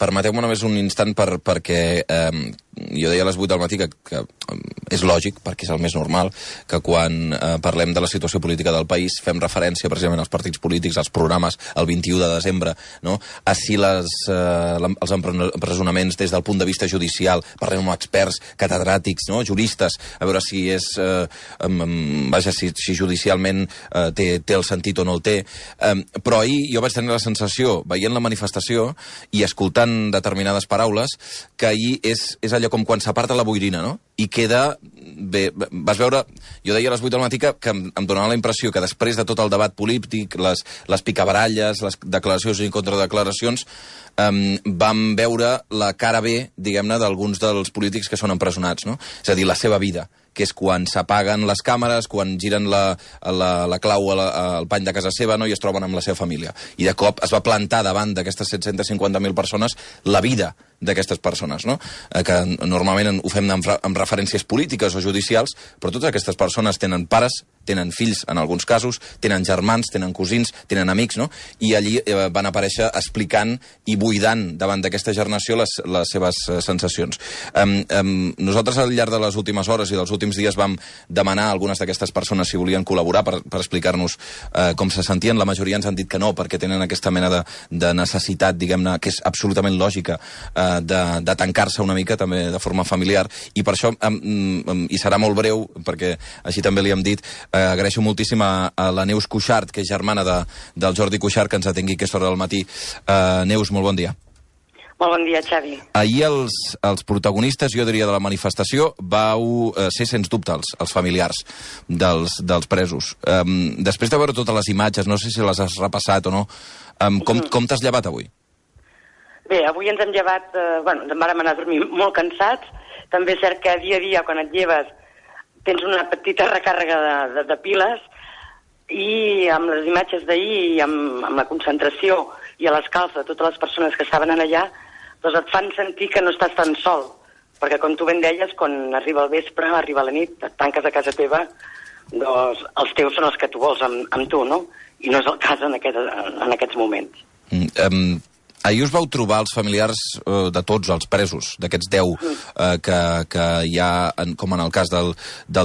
permeteu-me només un instant perquè jo deia a les 8 del matí que és lògic, perquè és el més normal, que quan parlem de la situació política del país fem referència precisament als partits polítics, als programes, el 21 de desembre, no? A si els empresonaments des del punt de vista judicial, parlem amb experts, catedràtics, no? Juristes, a veure si és si judicialment té el sentit o no el té. Però ahir jo vaig tenir la sensació, veient la manifestació i escoltant determinades paraules, que ahir és allò com quan s'aparta la boirina, no? I queda... Bé, vas veure... Jo deia a les 8 del matí que em donava la impressió que després de tot el debat polític, les picabaralles, les declaracions i contradeclaracions, vam veure la cara B, diguem-ne, d'alguns dels polítics que són empresonats, no? És a dir, la seva vida, que és quan s'apaguen les càmeres, quan giren la clau al pany de casa seva, no? I es troben amb la seva família. I de cop es va plantar davant d'aquestes 750.000 persones la vida d'aquestes persones, no? Que normalment ho fem amb referències polítiques o judicials, però totes aquestes persones tenen pares, tenen fills en alguns casos, tenen germans, tenen cosins, tenen amics, no? I allí van aparèixer explicant i buidant davant d'aquesta gernació les seves sensacions. Nosaltres al llarg de les últimes hores i dels últims dies vam demanar a algunes d'aquestes persones si volien col·laborar per explicar-nos com se sentien. La majoria ens han dit que no, perquè tenen aquesta mena de necessitat, diguem-ne, que és absolutament lògica, de tancar-se una mica també de forma familiar, i per això i serà molt breu, perquè així també li hem dit, agraeixo moltíssim a la Neus Cuixart, que és germana del Jordi Cuixart, que ens atengui a aquesta hora del matí. Neus, molt bon dia. Molt bon dia, Xavi. Ahir els protagonistes, jo diria, de la manifestació vau ser, sens dubte, els familiars dels presos. Després de veure totes les imatges, no sé si les has repassat o no, com t'has llevat avui? Bé, avui ens hem llevat, ens vàrem anar a dormir molt cansats. També és cert que dia a dia, quan et lleves, tens una petita recàrrega de piles, i amb les imatges d'ahir i amb la concentració i a l'escalf de totes les persones que estaven allà, doncs et fan sentir que no estàs tan sol, perquè com tu ben deies, quan arriba el vespre, arriba la nit, et tanques a casa teva, doncs els teus són els que tu vols amb tu, no? I no és el cas en aquests moments. Ahir us vau trobar els familiars de tots els presos, d'aquests 10 que ja, com en el cas del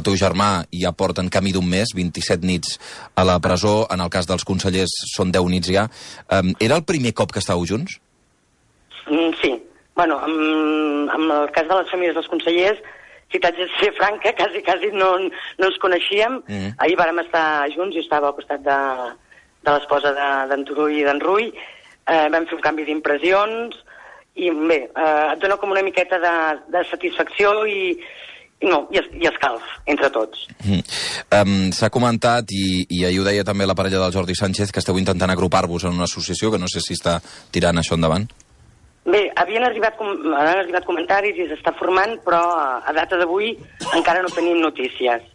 teu germà, ja porten camí d'un mes, 27 nits a la presó, en el cas dels consellers són 10 nits ja. Era el primer cop que estàveu junts? Sí. Bueno, amb el cas de les famílies dels consellers, si t'haig de ser franca, quasi no ens coneixíem. Ahir vàrem estar junts, jo estava al costat de l'esposa d'en Turull i d'en Rull. Vam fer un canvi d'impressions i bé, et dona com una miqueta de satisfacció i escalf entre tots. S'ha comentat, i ahir ho deia també la parella del Jordi Sánchez, que esteu intentant agrupar-vos en una associació, que no sé si està tirant això endavant. Bé, han arribat comentaris i s'està formant, però a data d'avui encara no tenim notícies.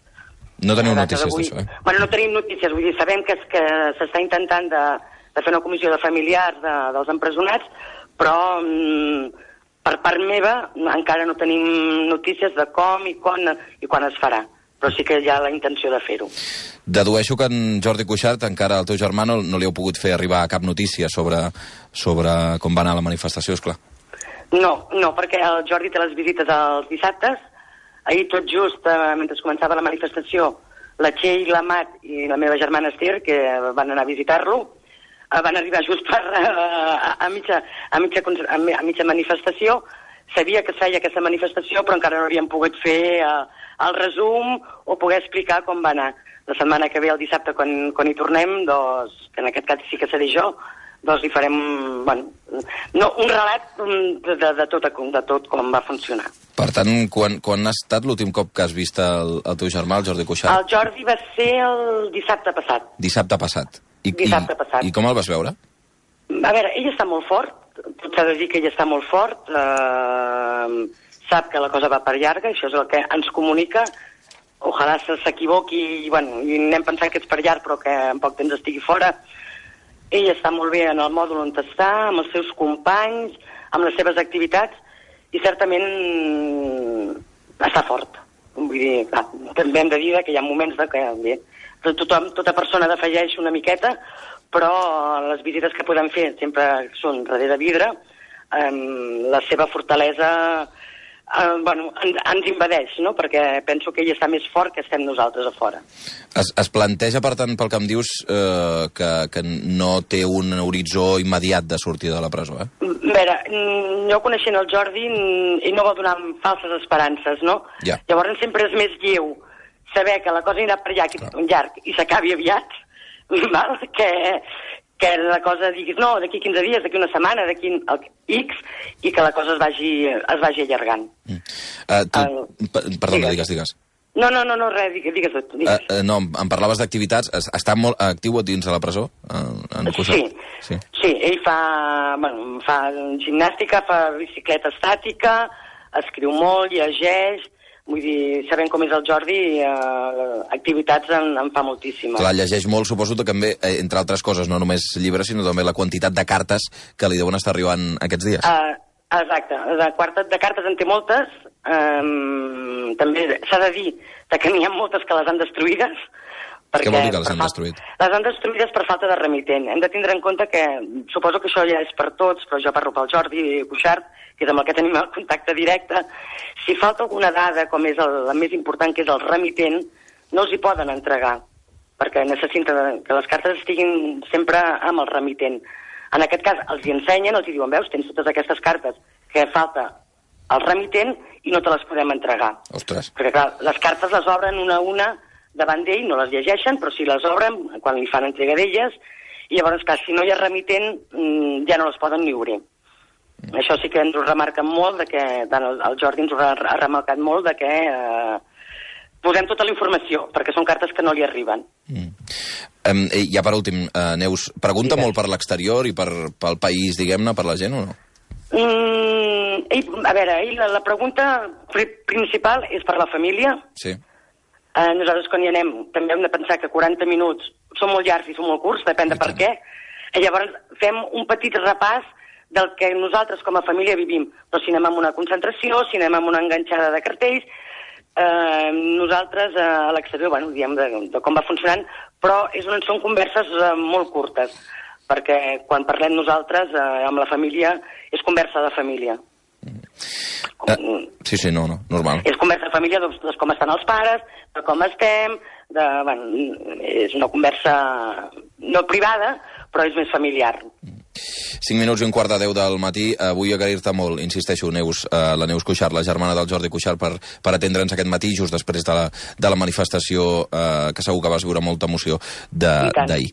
No teniu notícies d'això, Bueno, no tenim notícies, vull dir, sabem que s'està intentant de fer una comissió de familiars dels empresonats, però per part meva encara no tenim notícies de com i quan es farà, però sí que hi ha la intenció de fer-ho. Dedueixo que en Jordi Cuixart, encara el teu germà, no li heu pogut fer arribar cap notícia sobre com va anar la manifestació, esclar. No, perquè el Jordi té les visites els dissabtes. Ahir tot just, mentre començava la manifestació, la Txell, la Mat i la meva germana Esther, que van anar a visitar-lo, van arribar just a mitja manifestació. Sabia que es feia aquesta manifestació, però encara no havíem pogut fer el resum o poder explicar com va anar. La setmana que ve, el dissabte, quan hi tornem, doncs, que en aquest cas sí que seré jo, doncs hi farem un relat de tot com va funcionar. Per tant, quan ha estat l'últim cop que has vist el teu germà, el Jordi Cuixart? El Jordi va ser el dissabte passat. Dissabte passat. Dissabte passat. I com el vas veure? A veure, ell està molt fort, tot s'ha de dir que ell està molt fort, sap que la cosa va per llarga, això és el que ens comunica, ojalà s'equivoqui i anem pensant que és per llarg però que en poc temps estigui fora. Ell està molt bé en el mòdul on està, amb els seus companys, amb les seves activitats, i certament està fort. Vull dir, també hem de dir que hi ha moments que bé, tota persona defalleix una miqueta, però les visites que podem fer sempre són darrere vidre, la seva fortalesa ens invadeix, no? Perquè penso que ell està més fort que estem nosaltres a fora. Es planteja, per tant, pel que em dius, que no té un horitzó immediat de sortir de la presó, eh? A veure, jo coneixent el Jordi, ell no va donar falses esperances, no? Ja. Llavors sempre és més lleu saber que la cosa anirà per llarg i s'acabi aviat, val? Que la cosa diguis, no, d'aquí 15 dies, d'aquí una setmana, d'aquí X, i que la cosa es vagi allargant. Perdona, digues. No, res, digues tu. No, em parlaves d'activitats. Està molt actiu dins de la presó? Sí, ell fa gimnàstica, fa bicicleta estàtica, escriu molt, llegeix. Vull dir, sabent com és el Jordi, activitats en fa moltíssimes. Clar, llegeix molt, suposo que també, entre altres coses, no només llibres, sinó també la quantitat de cartes que li deuen estar arribant aquests dies. Exacte, de cartes en té moltes. També s'ha de dir que n'hi ha moltes que les han destruïdes. Què vol dir que les han destruït? Les han destruïdes per falta de remitent. Hem de tindre en compte que, suposo que això ja és per tots, però jo parlo pel Jordi Cuixart, que és amb el que tenim el contacte directe. Si falta alguna dada, com és la més important, que és el remitent, no els hi poden entregar, perquè necessiten que les cartes estiguin sempre amb el remitent. En aquest cas, els hi ensenyen, els hi diuen, veus, tens totes aquestes cartes, que falta el remitent i no te les podem entregar. Ostres. Perquè, clar, les cartes les obren una a una davant d'ell, no les llegeixen, però si les obren, quan li fan entrega d'elles, i llavors, clar, si no hi ha remitent, ja no les poden ni obrir. Això sí que ens ho remarquen molt, el Jordi ens ho ha remarcat molt, de que posem tota la informació, perquè són cartes que no li arriben. Ja per últim, Neus, pregunta molt per l'exterior i pel país, diguem-ne, per la gent o no? A veure, la pregunta principal és per la família. Sí. Nosaltres quan hi anem també hem de pensar que 40 minuts són molt llargs i són molt curts, depèn de per què. I llavors fem un petit repàs del que nosaltres com a família vivim. Però si anem amb una concentració, si anem amb una enganxada de cartells, nosaltres a l'exterior, diem de com va funcionant, però són converses molt curtes, perquè quan parlem nosaltres amb la família és conversa de família. Sí, normal. És conversa de família de com estan els pares, de com estem, és una conversa no privada, però és més familiar. 5 minuts i 1:15 del matí. Vull agrair-te molt, insisteixo, Neus, la Neus Cuixart, la germana del Jordi Cuixart, per atendre'ns aquest matí, just després de la manifestació, que segur que vas viure molta emoció d'ahir.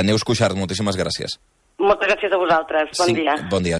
Neus Cuixart, moltíssimes gràcies. Moltes gràcies a vosaltres. Bon dia. Bon dia.